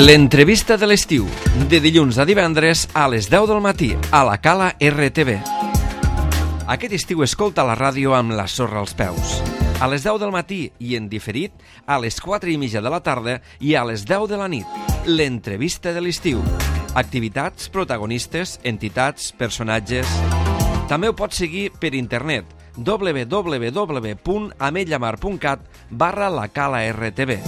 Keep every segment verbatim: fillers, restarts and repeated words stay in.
L'entrevista de l'estiu, de dilluns a divendres a les deu del matí, a la Cala R T V. Aquest estiu escolta la ràdio amb la sorra als peus. A les deu del matí i en diferit, a les quatre i mitja de la tarda i a les deu de la nit. L'entrevista de l'estiu. Activitats, protagonistes, entitats, personatges... També ho pots seguir per internet, w w w punt ametlla mar punt cat barra la Cala R T V.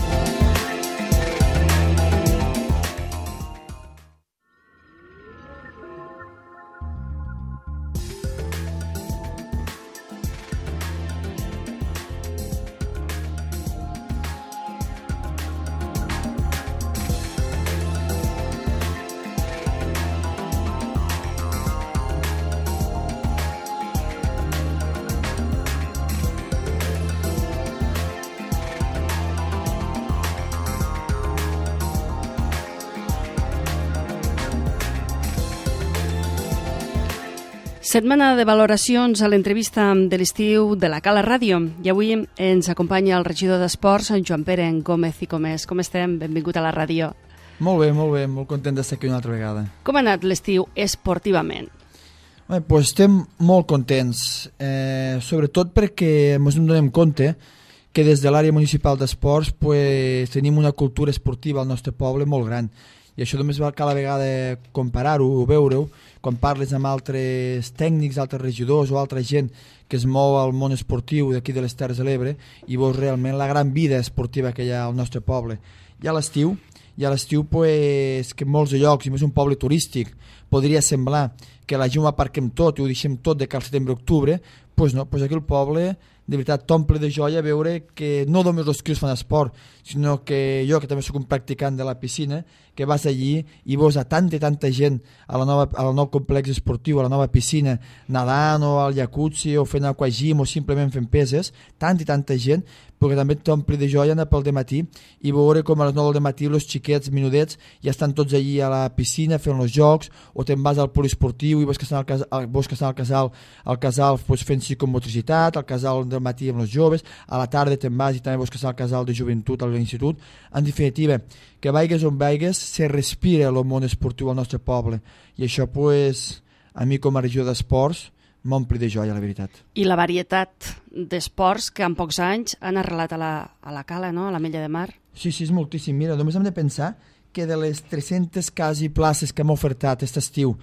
Setmana de valoracions a l'entrevista de l'estiu de la Cala Ràdio. I avui ens acompanya el regidor d'Esports, en Joan Pere Gómez i Comés. Com estem? Benvingut a la ràdio. Molt bé, molt bé. Molt content d'estar aquí una altra vegada. Com ha anat l'estiu esportivament? Bé, doncs estem molt contents, eh, sobretot perquè ens donem compte que des de l'àrea municipal d'esports pues, tenim una cultura esportiva al nostre poble molt gran. I això només val cada vegada comparar-ho o veure-ho quan parles amb altres tècnics, altres regidors o altra gent que es mou al món esportiu d'aquí de les Terres de l'Ebre i veus realment la gran vida esportiva que hi ha al nostre poble. I a l'estiu, i a l'estiu pues, que en molts llocs, i més un poble turístic, podria semblar que la gent ho aparquem tot i ho deixem tot de cal setembre-octubre, pues no, pues aquí el poble de veritat t'omple de joia veure que no només els crios fan esport, sinó que jo, que també soc un practicant de la piscina, que vas allí i veus a tanta i tanta gent a la nova, al nou complex esportiu, a la nova piscina, nedant o al jacuzzi o fent aquagym o simplement fent peses, tanta i tanta gent, perquè també t'omple de joia anar pel dematí i veure com a les nou del matí els xiquets menudets ja estan tots allí a la piscina fent els jocs, o te'n vas al poliesportiu i veus que estan al casal, veus que estan al casal, al casal pues, fent psicomotricitat, al casal del matí amb els joves, a la tarda te'n vas i també veus que estan al casal de joventut, a l'institut. En definitiva, que vaigues on vaigues, se respira el món esportiu al nostre poble. I això, pues, a mi com a regidor d'esports, m'ompli de joia, la veritat. I la varietat d'esports que en pocs anys han arrelat a la, a la Cala, no? A l'Ametlla de Mar. Sí, sí, és moltíssim. Mira, només hem de pensar que de les tres-centes quasi places que hem ofertat aquest estiu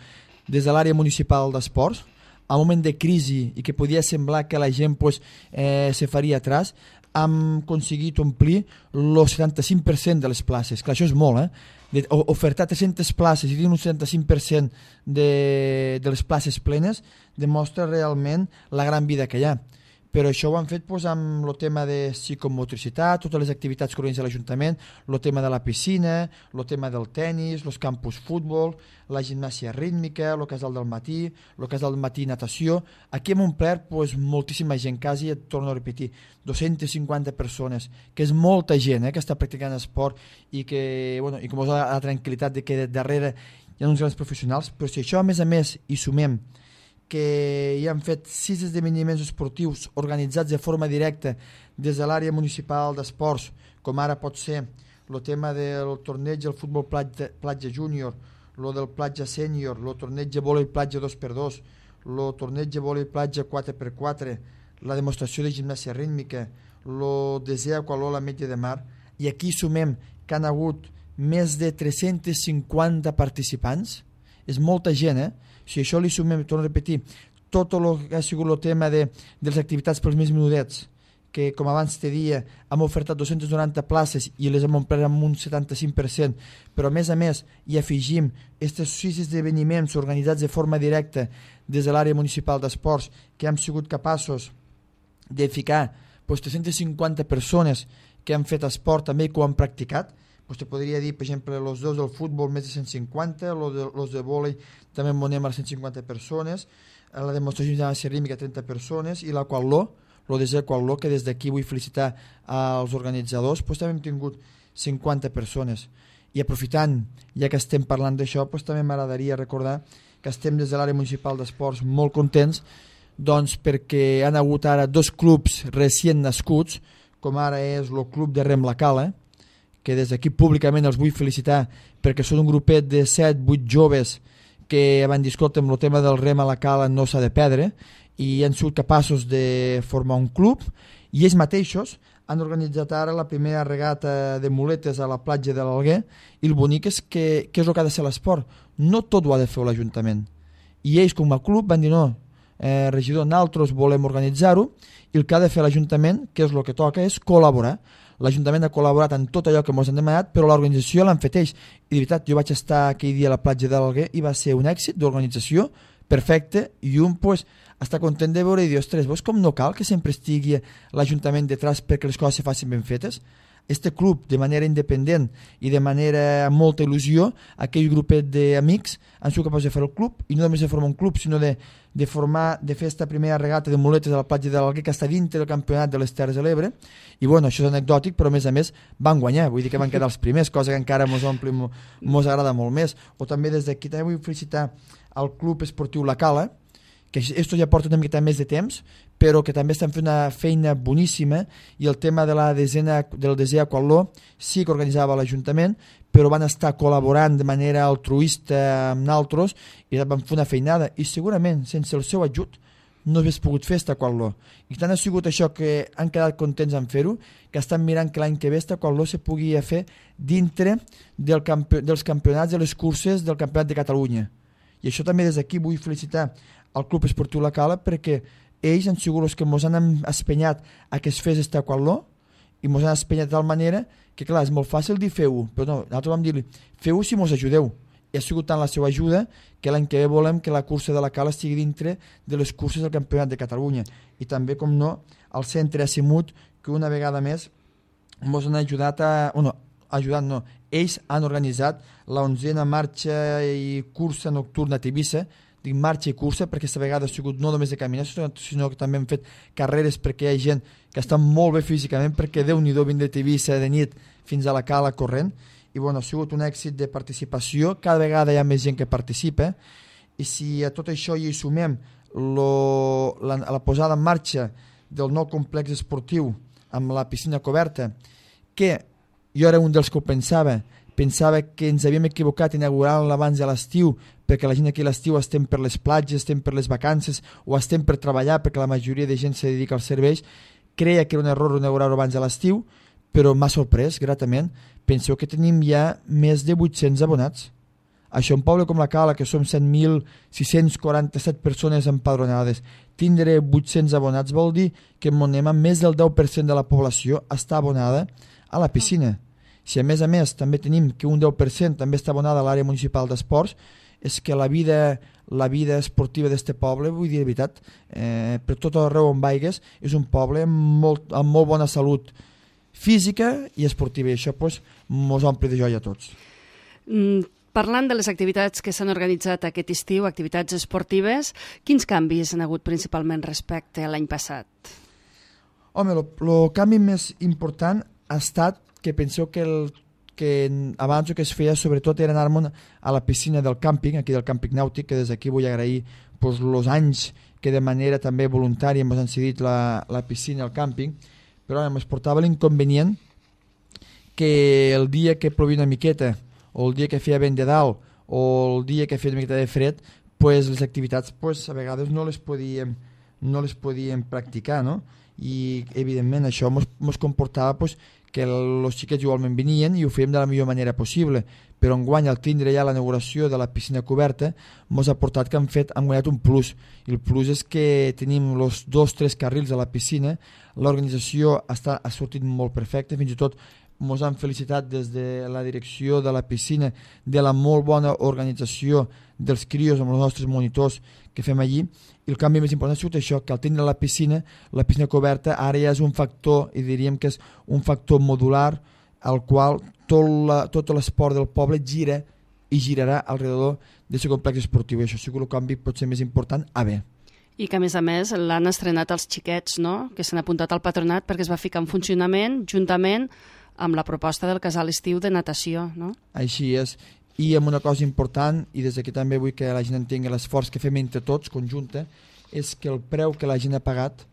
des de l'àrea municipal d'esports, a un moment de crisi i que podia semblar que la gent pues, eh, se faria atrás, hem aconseguit omplir el setanta-cinc per cent de les places. Clar, això és molt, eh? De, ofertar tres-centes places i dir un setanta-cinc per cent de, de les places plenes demostra realment la gran vida que hi ha. Però això ho han fet pues, amb el tema de psicomotricitat, totes les activitats que organitza l'Ajuntament, el tema de la piscina, el tema del tennis, els campus futbol, la gimnàsia rítmica, el casal del matí, el casal del matí natació. Aquí hem omplert pues, moltíssima gent, quasi, et torno a repetir, dos-centes cinquanta persones, que és molta gent eh, que està practicant esport i que, bueno, i com us ha la tranquil·litat de que darrere hi ha uns grans professionals, però si això a més a més hi sumem que hi han fet sis esdeveniments esportius organitzats de forma directa des de l'àrea municipal d'esports, com ara pot ser el tema del torneig del futbol platja, platja júnior, el del platja sènior, el torneig de vòlei platja dos per dos, el torneig de vòlei platja quatre per quatre, la demostració de gimnàsia rítmica, el desè aqualó a l'Ametlla de Mar, i aquí sumem que han hagut més de tres-cents cinquanta participants, és molta gent, eh? Si això li sumem, torno a repetir, tot el que ha sigut el tema de, de les activitats pels més menudets, que com abans te dia hem ofertat dos-centes noranta places i les hem omplert amb un setanta-cinc per cent, però a més a més hi afegim aquests sis esdeveniments organitzats de forma directa des de l'àrea municipal d'esports que hem sigut capaços de ficar pues, tres-centes cinquanta persones que han fet esport també i que ho han practicat. Pues te podria dir, per exemple, els dos del futbol més de cent cinquanta, els de, los de vòlei també en monem a cent cinquanta persones, la demostració de gimnàsia rítmica trenta persones i l'aquatló, el desè aquatló, que des d'aquí vull felicitar als organitzadors, pues també hem tingut cinquanta persones. I aprofitant, ja que estem parlant d'això, pues també m'agradaria recordar que estem des de l'àrea municipal d'esports molt contents, doncs perquè han hagut ara dos clubs recient nascuts, com ara és el club de Rem la Cala, que des d'aquí públicament els vull felicitar perquè són un grupet de set vuit joves que van dir, escolta, amb el tema del rem a la cala no s'ha de perdre, i han sigut capaços de formar un club, i ells mateixos han organitzat ara la primera regata de muletes a la platja de l'Alguer, i el bonic és que, que és el que ha de ser l'esport. No tot ho ha de fer l'Ajuntament. I ells, com a club, van dir, no, eh, regidor, nosaltres volem organitzar-ho, i el que ha de fer l'Ajuntament, que és el que toca, és col·laborar. L'Ajuntament ha col·laborat en tot allò que ens han demanat, però l'organització l'han fet ells. I de veritat, jo vaig estar aquell dia a la platja de l'Alguer i va ser un èxit d'organització perfecte, i un pues, està content de veure i dir, ostres, veus com no cal que sempre estigui l'Ajuntament detrás perquè les coses se facin ben fetes? Este club, de manera independent i de manera amb molta il·lusió, aquell grupet d'amics han sigut capaços de fer el club, i no només de formar un club, sinó de, de formar, de fer esta primera regata de muletes a la platja de l'Alguer, que està dintre del campionat de les Terres de l'Ebre, i bueno, això és anecdòtic, però a més a més van guanyar, vull dir que van quedar els primers, cosa que encara mos omple, mos agrada molt més. O també des d'aquí també vull felicitar al Club Esportiu La Cala, que esto ja porta una miqueta més de temps, però que també estan fent una feina boníssima, i el tema de la desena, del desè aquatló sí que organitzava l'Ajuntament, però van estar col·laborant de manera altruista amb nosaltres i van fer una feinada, i segurament sense el seu ajut no hagués pogut fer esta aquatló. I tant ha sigut això que han quedat contents en fer-ho, que estan mirant que l'any que ve esta aquatló se pugui fer dintre del campi dels campionats de les curses del Campionat de Catalunya. I això també des d'aquí vull felicitar al Club Esportiu La Cala, perquè ells han sigut els que ens han espenyat a que es fes este aquatló, i ens han espenyat de tal manera que, clar, és molt fàcil dir feu-ho, però no, nosaltres vam dir-li feu-ho si ens ajudeu. I ha sigut tant la seva ajuda que l'any que ve volem que la cursa de La Cala estigui dintre de les curses del Campionat de Catalunya. I també, com no, el centre Asimut, que una vegada més ens han ajudat a... Bueno, ajudat no, ells han organitzat la onzena marxa i cursa nocturna a Tivissa. Dic marxa i cursa perquè aquesta vegada ha sigut no només de caminar, sinó que també hem fet carreres, perquè hi ha gent que està molt bé físicament, perquè Déu-n'hi-do vindre de Tivissa de nit fins a La Cala corrent, i bueno, ha sigut un èxit de participació, cada vegada hi ha més gent que participa, i si a tot això hi sumem lo, la, la posada en marxa del nou complex esportiu amb la piscina coberta, que jo era un dels que ho pensava, pensava que ens havíem equivocat inaugurant-la abans de l'estiu, perquè la gent aquí a l'estiu estem per les platges, estem per les vacances o estem per treballar, perquè la majoria de gent se dedica als serveis. Creia que era un error inaugurar-ho abans de l'estiu, però m'ha sorprès gratament. Penseu que tenim ja més de vuit-cents abonats. Això, un poble com La Cala, que som set mil sis-cents quaranta-set persones empadronades, tindre vuit-cents abonats vol dir que anem amb més del deu per cent de la població està abonada a la piscina. Si a més a més també tenim que un deu per cent també està abonada a l'àrea municipal d'esports, és que la vida, la vida esportiva d'este poble, vull dir de veritat, eh, per tot arreu on vaigues, és un poble amb molt, amb molt bona salut física i esportiva, i això pues, mos omple de joia a tots. Mm, parlant de les activitats que s'han organitzat aquest estiu, activitats esportives, quins canvis han hagut principalment respecte a l'any passat? Home, el canvi més important ha estat que penseu que, el, que abans el que es feia sobretot era anar-me'n a la piscina del càmping, aquí del càmping nàutic, que des d'aquí vull agrair els pues, anys que de manera també voluntària ens han cedit la, la piscina al càmping, però ara es portava l'inconvenient que el dia que plovia una miqueta, o el dia que feia vent de dalt, o el dia que feia una miqueta de fred, pues, les activitats pues, a vegades no les podíem, no les podíem practicar, no? I evidentment això ens comportava pues, que els xiquets igualment venien i ho fèiem de la millor manera possible, però enguany al tindre ja l'inauguració de la piscina coberta ens ha portat que han fet han guanyat un plus, i el plus és que tenim els dos tres carrils a la piscina, l'organització està, ha sortit molt perfecta, fins i tot ens han felicitat des de la direcció de la piscina de la molt bona organització dels crios amb els nostres monitors que fem allí. I el canvi més important ha sigut això, que al tindre la piscina, la piscina coberta ara ja és un factor, i diríem que és un factor modular al qual tot, la, tot l'esport del poble gira i girarà alrededor d'aquest complex esportiu, i això ha sigut el canvi potser més important a bé. I que a més a més l'han estrenat els xiquets, no? Que s'han apuntat al patronat perquè es va ficar en funcionament juntament amb la proposta del casal estiu de natació, no? Així és. I amb una cosa important, i des d'aquí també vull que la gent entengui l'esforç que fem entre tots, conjunta, és que el preu que la gent ha pagat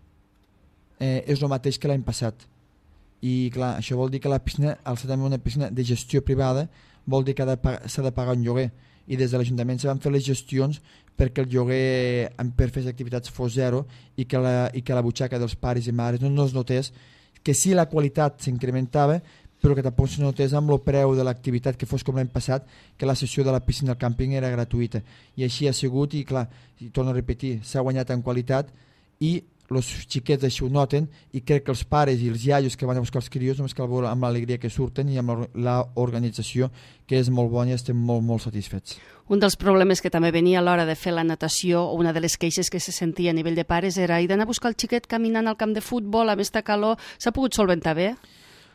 eh, és el mateix que l'any passat. i clar, això vol dir que la piscina, al ser també una piscina de gestió privada, vol dir que s'ha de pagar un lloguer, i des de l'Ajuntament se van fer les gestions perquè el lloguer per fer les activitats fos zero i que la, i que la butxaca dels pares i mares no, no es notés, que sí la qualitat s'incrementava, però que tampoc se notés amb el preu de l'activitat que fos com l'any passat, que la sessió de la piscina al càmping era gratuïta. I així ha sigut, i clar, i torno a repetir, s'ha guanyat en qualitat i els xiquets així ho noten, i crec que els pares i els iaios que van a buscar els crios només cal veure amb l'alegria que surten i amb l'organització, que és molt bona i estem molt, molt satisfets. Un dels problemes que també venia a l'hora de fer la natació, o una de les queixes que se sentia a nivell de pares, era i d'anar a buscar el xiquet caminant al camp de futbol, amb esta calor, s'ha pogut solventar bé?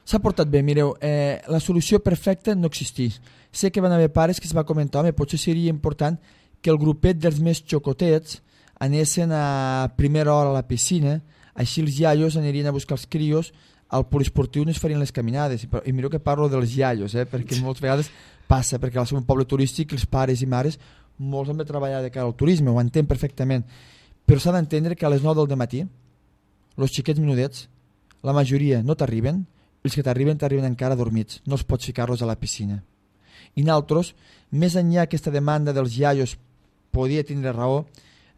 S'ha portat bé, mireu, eh, la solució perfecta no existeix. Sé que van haver pares que es va comentar, home, potser seria important que el grupet dels més xocotets anessin a primera hora a la piscina, així els iaios anirien a buscar els crios, al poliesportiu no es farien les caminades, i mireu que parlo dels iaios, eh, perquè moltes vegades passa, perquè al ser un poble turístic els pares i mares molts han de treballar de cara al turisme, ho entenc perfectament, però s'ha d'entendre que a les nou del matí els xiquets menudets, la majoria no t'arriben, els que t'arriben t'arriben encara dormits, no els pots ficar-los a la piscina. I nosaltres, més enllà aquesta demanda dels iaios podia tindre raó,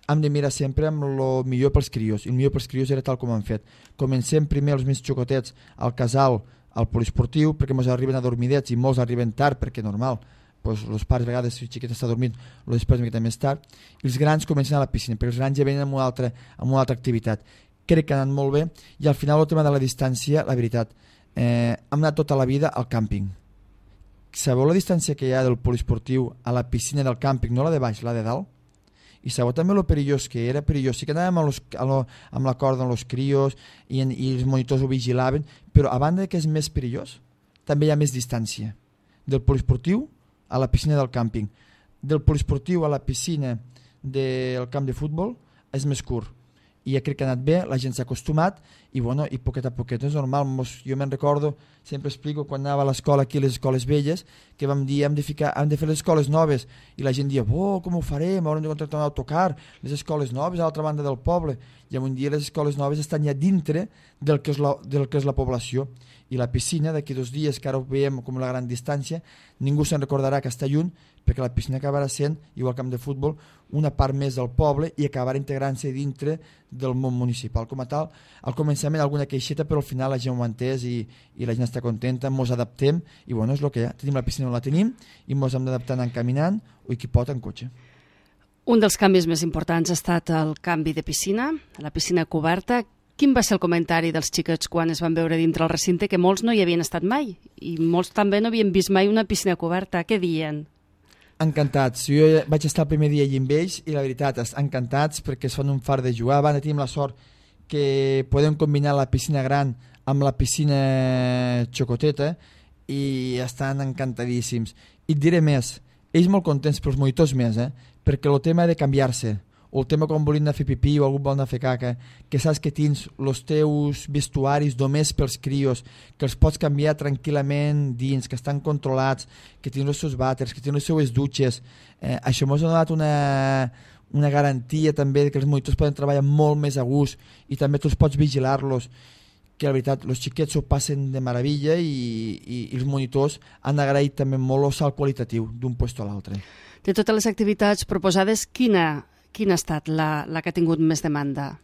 hem de mirar sempre amb el millor pels crios, i el millor pels crios era tal com han fet. Comencem primer els més xocotets al casal, al poliesportiu, perquè ens arriben adormidets i molts arriben tard, perquè normal, doncs els pares a vegades si el xiquet està dormint el després una mica més tard, i els grans comencen a la piscina, perquè els grans ja venen amb una altra, amb una altra activitat. Crec que ha anat molt bé, i al final el tema de la distància, la veritat, eh, hem anat tota la vida al càmping. Sabeu la distància que hi ha del poliesportiu a la piscina del càmping, no la de baix, la de dalt? I sabeu també el perillós que era, perillós. Sí que anàvem amb, los, amb la corda amb els crios i, en, i els monitors ho vigilaven, però a banda que és més perillós, també hi ha més distància. Del poliesportiu a la piscina del càmping. Del poliesportiu a la piscina del camp de futbol és més curt. I ja crec que ha anat bé, la gent s'ha acostumat i, bueno, i poquet a poquet és normal. Mos, jo me'n recordo, sempre explico quan anava a l'escola aquí a les escoles velles, que vam dir hem de, ficar, hem de fer les escoles noves i la gent dia, oh, com ho farem, haurem de contractar un autocar, les escoles noves a l'altra banda del poble, i un dia les escoles noves estan ja dintre del que és la, del que és la població, i la piscina d'aquí dos dies que ara ho veiem com la gran distància, ningú se'n recordarà que està lluny, perquè la piscina acabarà sent, igual camp de futbol, una part més del poble i acabarà integrant-se dintre del món municipal. Com a tal, al començament alguna queixeta, però al final la gent ho ha entès i, i la gent està contenta, mos adaptem i bueno, és el que hi ha. Tenim la piscina on la tenim i mos hem d'adaptar anant caminant o qui pot en cotxe. Un dels canvis més importants ha estat el canvi de piscina, la piscina coberta. Quin va ser el comentari dels xiquets quan es van veure dintre el recinte, que molts no hi havien estat mai i molts també no havien vist mai una piscina coberta? Què diuen? Encantats. Jo vaig estar el primer dia allà amb ells i la veritat, encantats perquè es fan un far de jugar. Van, tenim la sort que podem combinar la piscina gran amb la piscina xocoteta i estan encantadíssims. I et diré més, ells molt contents, però els monitors més, eh? Perquè el tema de canviar-se, o el tema quan volien anar a fer pipí o algú vol anar a fer caca, que saps que tens els teus vestuaris només pels crios, que els pots canviar tranquil·lament dins, que estan controlats, que tens els seus vàters, que tens les seues dutxes. Eh, això m'ha donat una, una garantia també que els monitors poden treballar molt més a gust i també tu els pots vigilar-los, que la veritat, els xiquets ho passen de meravella i, i, i els monitors han agraït també molt el salt qualitatiu d'un lloc a l'altre. De totes les activitats proposades, quina Quina ha estat la, la que ha tingut més demanda?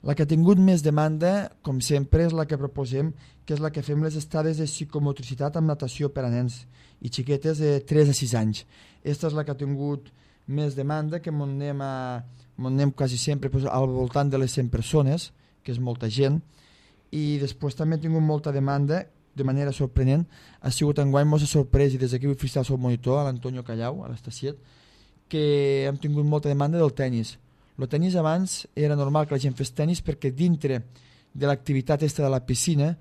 La que ha tingut més demanda, com sempre, és la que proposem, que és la que fem les estades de psicomotricitat amb natació per a nens i xiquetes de tres a sis anys. Aquesta és la que ha tingut més demanda, que m'on anem, a, m'on anem quasi sempre pues, al voltant de les cent persones, que és molta gent, i després també ha tingut molta demanda, de manera sorprenent, ha sigut enguany molt sorprès, i des d'aquí vull felicitar el seu monitor, l'Antonio Callau, a l'Estaciet, que hem tingut molta demanda del tennis. El tennis abans era normal que la gent fes tennis perquè dintre de l'activitat esta de la piscina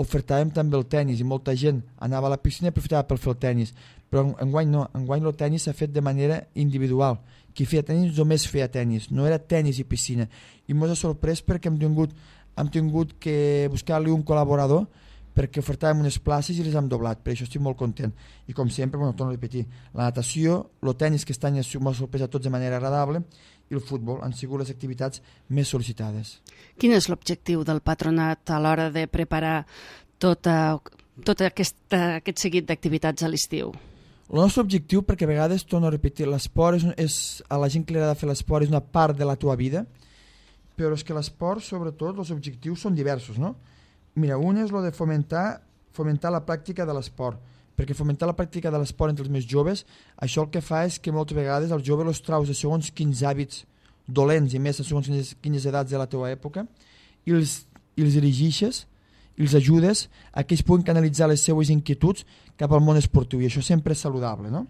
ofertàvem també el tennis i molta gent anava a la piscina i aprofitava per fer el tennis. Però enguany no, enguany el tennis s'ha fet de manera individual. Qui feia tennis només feia tennis, no era tennis i piscina. I ens ha sorprès perquè hem tingut, hem tingut que buscar-li un col·laborador perquè ofertàvem unes places i les hem doblat, per això estic molt content. I com sempre, bueno, torno a repetir, la natació, el tennis que aquest any m'ha sorprès a tots de manera agradable i el futbol han sigut les activitats més sol·licitades. Quin és l'objectiu del patronat a l'hora de preparar tot, tot aquest, aquest seguit d'activitats a l'estiu? El nostre objectiu, perquè a vegades, torno a repetir, l'esport és, és, a la gent que li agrada fer l'esport és una part de la teva vida, però és que l'esport, sobretot, els objectius són diversos, no? Mira, un és el de fomentar, fomentar la pràctica de l'esport, perquè fomentar la pràctica de l'esport entre els més joves, això el que fa és que moltes vegades els joves els traus de segons quins hàbits dolents i més de segons quines, quines edats de la teva època i els, i els dirigeixes i els ajudes a que ells puguin canalitzar les seues inquietuds cap al món esportiu, i això sempre és saludable, no?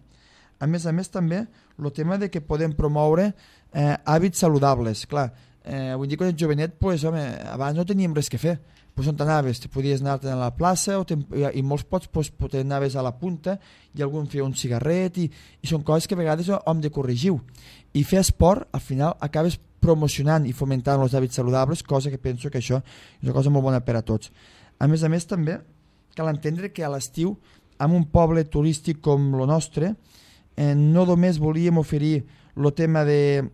A més a més també el tema de que podem promoure eh, hàbits saludables. Clar, eh, avui dia quan ets jovenet, pues, home, abans no teníem res que fer, pues on t'anaves? Te podies anar a la plaça o i molts pots pues, t'anaves a la punta i algú feia un cigarret i, i són coses que a vegades hem de corregir, i fer esport al final acabes promocionant i fomentant els hàbits saludables, cosa que penso que això és una cosa molt bona per a tots. A més a més també cal entendre que a l'estiu en un poble turístic com el nostre eh, no només volíem oferir el tema de,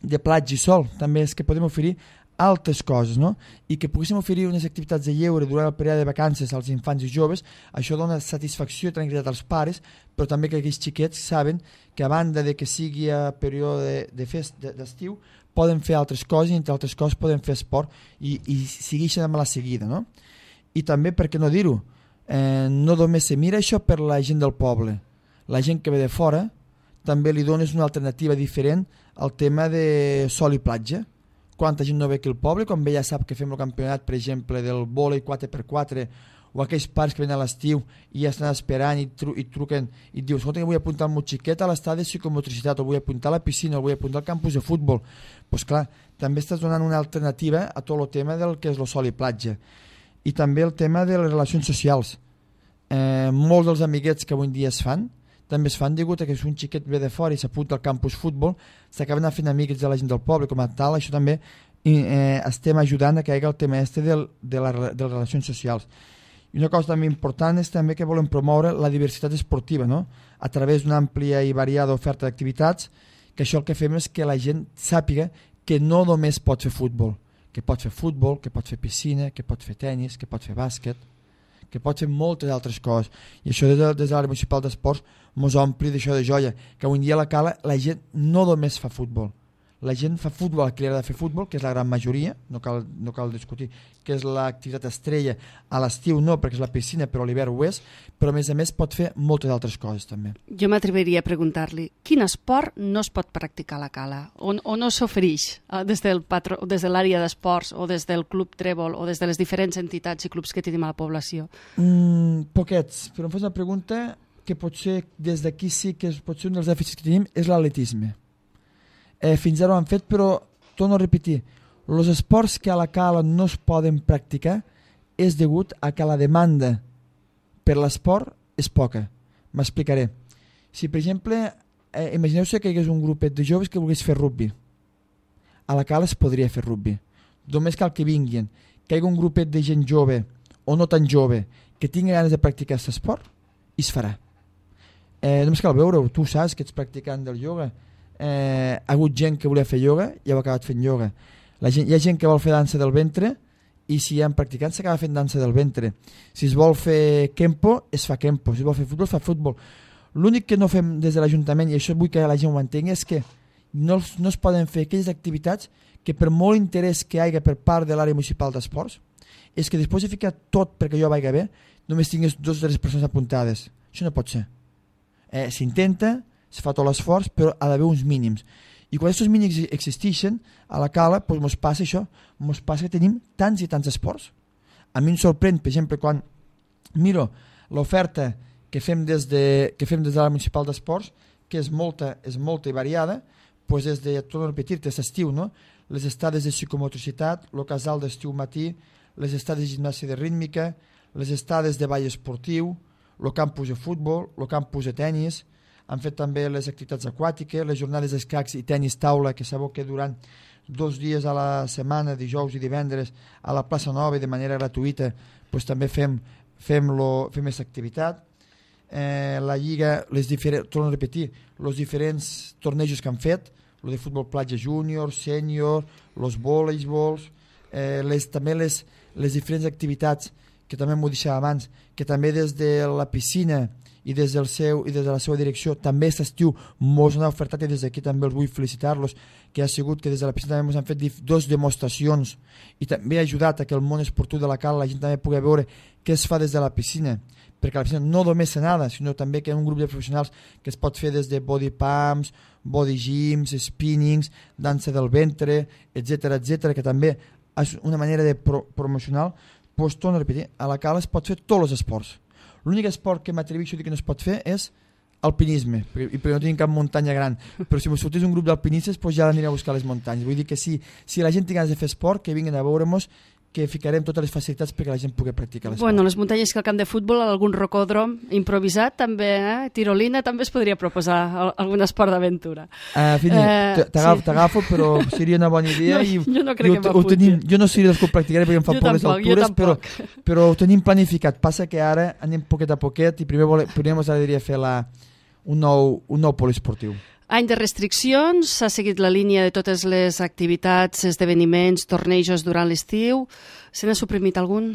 de platja i sol, també és que podem oferir altres coses, no? I que poguéssim oferir unes activitats de lleure durant el període de vacances als infants i joves, això dona satisfacció i tranquil·litat als pares, però també que aquells xiquets saben que a banda de que sigui a període de, de fest d'estiu, poden fer altres coses i entre altres coses poden fer esport i, i segueixen amb la seguida, no? I també, per què no dir-ho, eh, no només se mira això per la gent del poble, la gent que ve de fora també li dones una alternativa diferent al tema de sol i platja. Quanta gent no ve aquí al poble, quan ve ja sap que fem el campionat, per exemple, del vòlei quatre per quatre, o aquells pares que venen a l'estiu i ja estan esperant i, tru i truquen i et dius, escolta, que vull apuntar el meu xiquet a l'estadi de psicomotricitat, o vull apuntar a la piscina, o vull apuntar al campus de futbol. Doncs pues clar, també estàs donant una alternativa a tot el tema del que és el sol i platja. I també el tema de les relacions socials. Eh, molts dels amiguets que avui en dia es fan, també es fan degut a que si un xiquet ve de fora i s'apunta al campus futbol, s'acaben fent amics de la gent del poble, com a tal, això també eh, estem ajudant a que hi hagi el tema este del, de, la, de les relacions socials. I una cosa també important és també que volem promoure la diversitat esportiva, no? A través d'una àmplia i variada oferta d'activitats, que això el que fem és que la gent sàpiga que no només pot fer futbol, que pot fer futbol, que pot fer piscina, que pot fer tennis, que pot fer bàsquet, que pot fer moltes altres coses. I això des de, des de l'àrea municipal d'esports mos ompli d'això de joia, que avui en dia a la Cala la gent no només fa futbol. La gent fa futbol, a qui li agrada fer futbol, que és la gran majoria, no cal, no cal discutir, que és l'activitat estrella. A l'estiu no, perquè és la piscina, però a l'hivern ho és, però a més a més pot fer moltes altres coses també. Jo m'atreviria a preguntar-li, quin esport no es pot practicar a la Cala? O, o no s'ofereix eh, des del patro, des de l'àrea d'esports o des del Club Trèvol o des de les diferents entitats i clubs que tenim a la població? Mm, poquets, però em fas una pregunta que potser des d'aquí sí que és, potser un dels dèficits que tenim és l'atletisme. Eh, fins ara ho han fet, però torno a repetir, els esports que a la Cala no es poden practicar és degut a que la demanda per l'esport és poca. M'explicaré. Si, per exemple, eh, imagineu-se que hi hagués un grupet de joves que volgués fer rugby. A la Cala es podria fer rugby. Només cal que vinguin, que hi hagi un grupet de gent jove o no tan jove que tingui ganes de practicar aquest esport i es farà. Eh, només cal veure-ho, tu saps que ets practicant del ioga. Eh, ha hagut gent que volia fer ioga i ha acabat fent ioga. La gent, hi ha gent que vol fer dansa del ventre i si hi ha practicants s'acaba fent dansa del ventre. Si es vol fer kempo, es fa kempo. Si es vol fer futbol, fa futbol. L'únic que no fem des de l'Ajuntament, i això vull que la gent ho entengui, és que no, no es poden fer aquelles activitats que per molt interès que hi hagi per part de l'àrea municipal d'esports, és que després de ficar tot perquè jo vagi bé, només tingués dues o tres persones apuntades. Això no pot ser. Eh, S'intenta, es fa tot l'esforç, però ha d'haver uns mínims. I quan aquests mínims existeixen, a la Cala, doncs mos passa això, mos passa que tenim tants i tants esports. A mi em sorprèn, per exemple, quan miro l'oferta que fem des de, que fem des de l'àrea municipal d'esports, que és molta, és molta i variada, doncs és de, torno a repetir-te, és estiu, no? Les estades de psicomotricitat, el casal d'estiu matí, les estades de gimnàsia de rítmica, les estades de ball esportiu, el campus de futbol, el campus de tennis. Han fet també les activitats aquàtiques, les jornades d'escacs i tenis taula, que sabeu que durant dos dies a la setmana, dijous i divendres, a la plaça Nova i de manera gratuïta, doncs també fem, fem, lo, fem aquesta activitat. Eh, la Lliga, les torno a repetir, els diferents tornejos que han fet, el de futbol platja júnior, sènior, els voleibols, eh, les, també les, les diferents activitats que també m'ho deixava abans, que també des de la piscina i des, del seu, i des de la seva direcció també aquest estiu mos han ofertat, i des d'aquí també els vull felicitar-los, que ha sigut que des de la piscina també ens han fet dos demostracions i també ha ajudat a que el món esportiu de la Cala la gent també pugui veure què es fa des de la piscina, perquè a la piscina no només se nada, sinó també que hi ha un grup de professionals que es pot fer des de body pumps, body gyms, spinnings, dansa del ventre, etcètera, etcètera, que també és una manera de pro promocional. Pues, torno a repetir, a la Cala es pot fer tots els esports. L'únic esport que m'atreveixo a dir que no es pot fer és alpinisme, perquè, perquè no tenim cap muntanya gran, però si m'ho sortís un grup d'alpinistes pues ja aniré a buscar les muntanyes. Vull dir que si, si la gent té ganes de fer esport, que vinguin a veure-nos, que ficarem totes les facilitats perquè la gent pugui practicar l'esport. Bueno, les muntanyes que al camp de futbol, algun rocòdrom improvisat també, eh? Tirolina, també es podria proposar algun esport d'aventura. Uh, Fini, eh, t'agafo, sí. Però seria una bona idea. No, i, jo no crec i que m'apunti. Jo no seré dels que ho practicaré perquè em fa jo por tampoc, les altures, però, però ho tenim planificat. Passa que ara anem poquet a poquet i primer, vole, primer ens agradaria fer la, un, nou, un nou poliesportiu. Any de restriccions, s'ha seguit la línia de totes les activitats, esdeveniments, tornejos durant l'estiu. Se n'ha suprimit algun?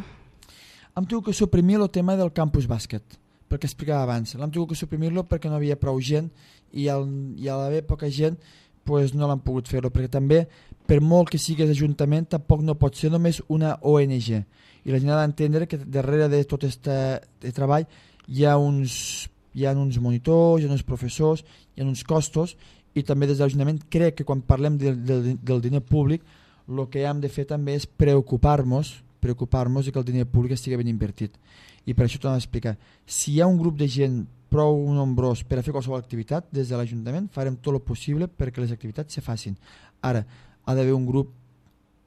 Hem tingut que suprimir el tema del campus bàsquet, perquè explicava abans. L'hem tingut que suprimir-lo perquè no havia prou gent i al, i a l'haver poca gent pues no l'han pogut fer-lo, perquè també, per molt que sigues ajuntament, tampoc no pot ser només una O N G. I la gent ha d'entendre que darrere de tot aquest treball hi ha uns... hi ha uns monitors, hi ha uns professors, hi ha uns costos, i també des de l'Ajuntament crec que quan parlem del, del, del diner públic el que hem de fer també és preocupar-nos preocupar-nos que el diner públic estigui ben invertit. I per això t'ho he d'explicar. Si hi ha un grup de gent prou nombrós per a fer qualsevol activitat, des de l'Ajuntament farem tot el possible perquè les activitats se facin. Ara, ha d'haver un grup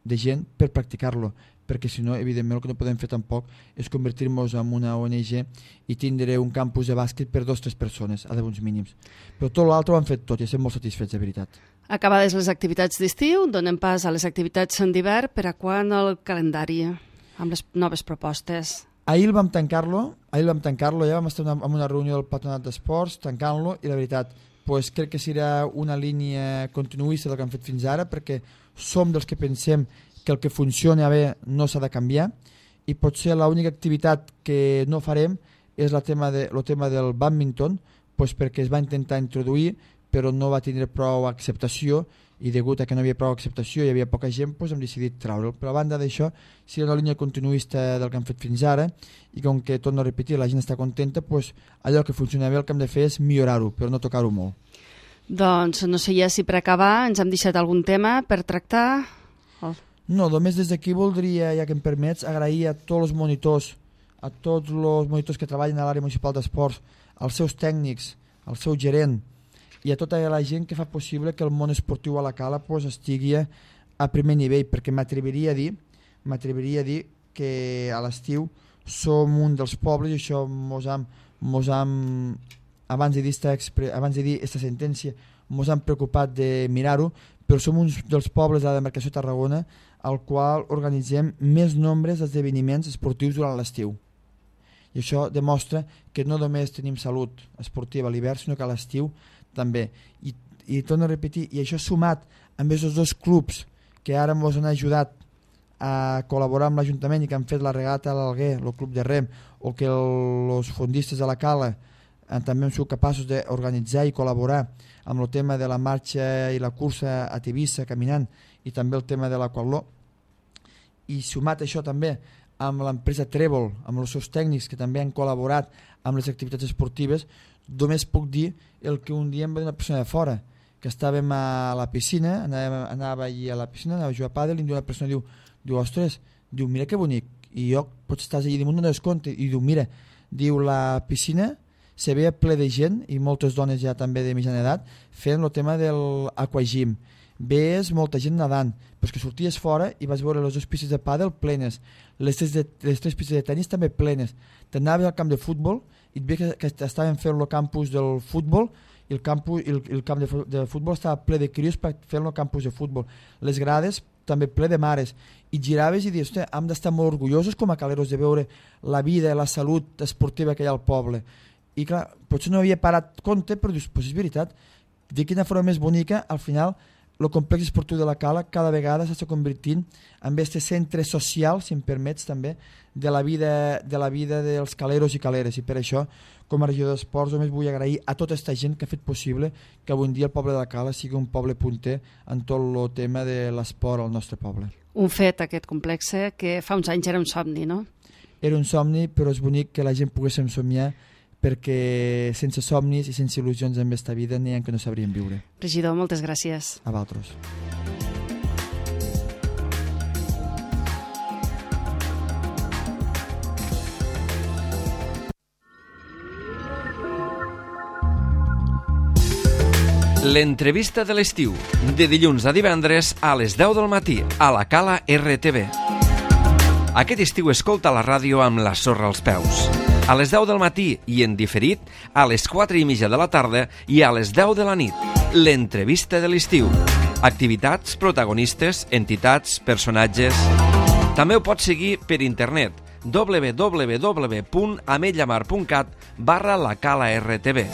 de gent per practicar-lo, perquè si no, evidentment, el que no podem fer tampoc és convertir-nos en una O N G i tindre un campus de bàsquet per dos o tres persones, ha d'haver uns mínims. Però tot l'altre ho han fet tot i estem molt satisfets, de veritat. Acabades les activitats d'estiu, donem pas a les activitats d'hivern. Per a quan el calendari amb les noves propostes? Ahir vam tancar-lo, ahir vam tancar-lo, ja vam estar en una reunió del Patronat d'Esports, tancant-lo, i la veritat, pues, crec que serà una línia continuista del que hem fet fins ara, perquè som dels que pensem que el que funciona bé no s'ha de canviar, i potser l'única activitat que no farem és el tema, de, el tema del badminton, pues perquè es va intentar introduir però no va tindre prou acceptació, i degut a que no hi havia prou acceptació i hi havia poca gent, pues hem decidit treure'l. Però a banda d'això, si era una línia continuista del que hem fet fins ara, i com que, torno a repetir, la gent està contenta, pues allò que funciona bé el que hem de fer és millorar-ho, però no tocar-ho molt. Doncs no sé ja si per acabar ens hem deixat algun tema per tractar. Oh. No, només des d'aquí voldria, ja que em permets, agrair a tots els monitors, a tots els monitors que treballen a l'àrea municipal d'esports, als seus tècnics, al seu gerent, i a tota la gent que fa possible que el món esportiu a la Cala pues, estigui a primer nivell, perquè m'atreviria a dir m'atreviria a dir que a l'estiu som un dels pobles, i això mos hem, mos hem abans de dir esta, abans de dir esta sentència mos hem preocupat de mirar-ho, però som uns dels pobles de la demarcació de Tarragona al qual organitzem més nombres d'esdeveniments esportius durant l'estiu. I això demostra que no només tenim salut esportiva a l'hivern, sinó que a l'estiu també. I, i torno a repetir, i això sumat amb aquests dos clubs que ara ens han ajudat a col·laborar amb l'Ajuntament i que han fet la regata a l'Alguer, el club de rem, o que els fondistes de la Cala eh, també han sigut capaços d'organitzar i col·laborar amb el tema de la marxa i la cursa a Tivissa caminant, i també el tema de l'aquatló. I sumat això també amb l'empresa Trèvol, amb els seus tècnics que també han col·laborat amb les activitats esportives, només puc dir el que un dia em va dir una persona de fora, que estàvem a la piscina, anava, anava allí a la piscina, anava a jugar a pàdel, i una persona diu, diu, ostres, diu, mira que bonic, i jo, pots estar allà damunt, no dones compte, i diu, mira, diu, la piscina se veia ple de gent, i moltes dones ja també de mitjana edat, fent el tema de l'aquagym. Ves molta gent nedant, però que sorties fora i vas veure les dues pistes de pàdel plenes, les tres, de, les tres pistes de tenis també plenes. T'anaves al camp de futbol i et veia que, que estaven fent el campus del futbol, i el, campus, el, el camp de, de futbol estava ple de crios per fer el campus de futbol. Les grades també ple de mares, i giraves i dius, hosti, hem d'estar molt orgullosos com a caleros de veure la vida i la salut esportiva que hi ha al poble. I clar, potser no havia parat compte, però dius, pues és veritat, de quina forma més bonica, al final el complex esportiu de la Cala cada vegada s'està convertint en aquest centre social, si em permets també, de la vida, de la vida dels caleros i caleres, i per això, com a regidor d'esports, només vull agrair a tota aquesta gent que ha fet possible que avui en dia el poble de la Cala sigui un poble punter en tot el tema de l'esport al nostre poble. Un fet, aquest complex, que fa uns anys era un somni, no? Era un somni, però és bonic que la gent poguéssim somiar, perquè sense somnis i sense il·lusions en aquesta vida n'hi ha que no sabrien viure. Regidor, moltes gràcies. A vosaltres. L'entrevista de l'estiu, de dilluns a divendres a les deu del matí, a la Cala R T V. Aquest estiu escolta la ràdio amb la sorra als peus. A les deu del matí i en diferit a les quatre i mitja de la tarda i a les deu de la nit. L'entrevista de l'estiu. Activitats, protagonistes, entitats, personatges... També ho pots seguir per internet w w w punt ametlllamar punt cat barra la Cala R T V.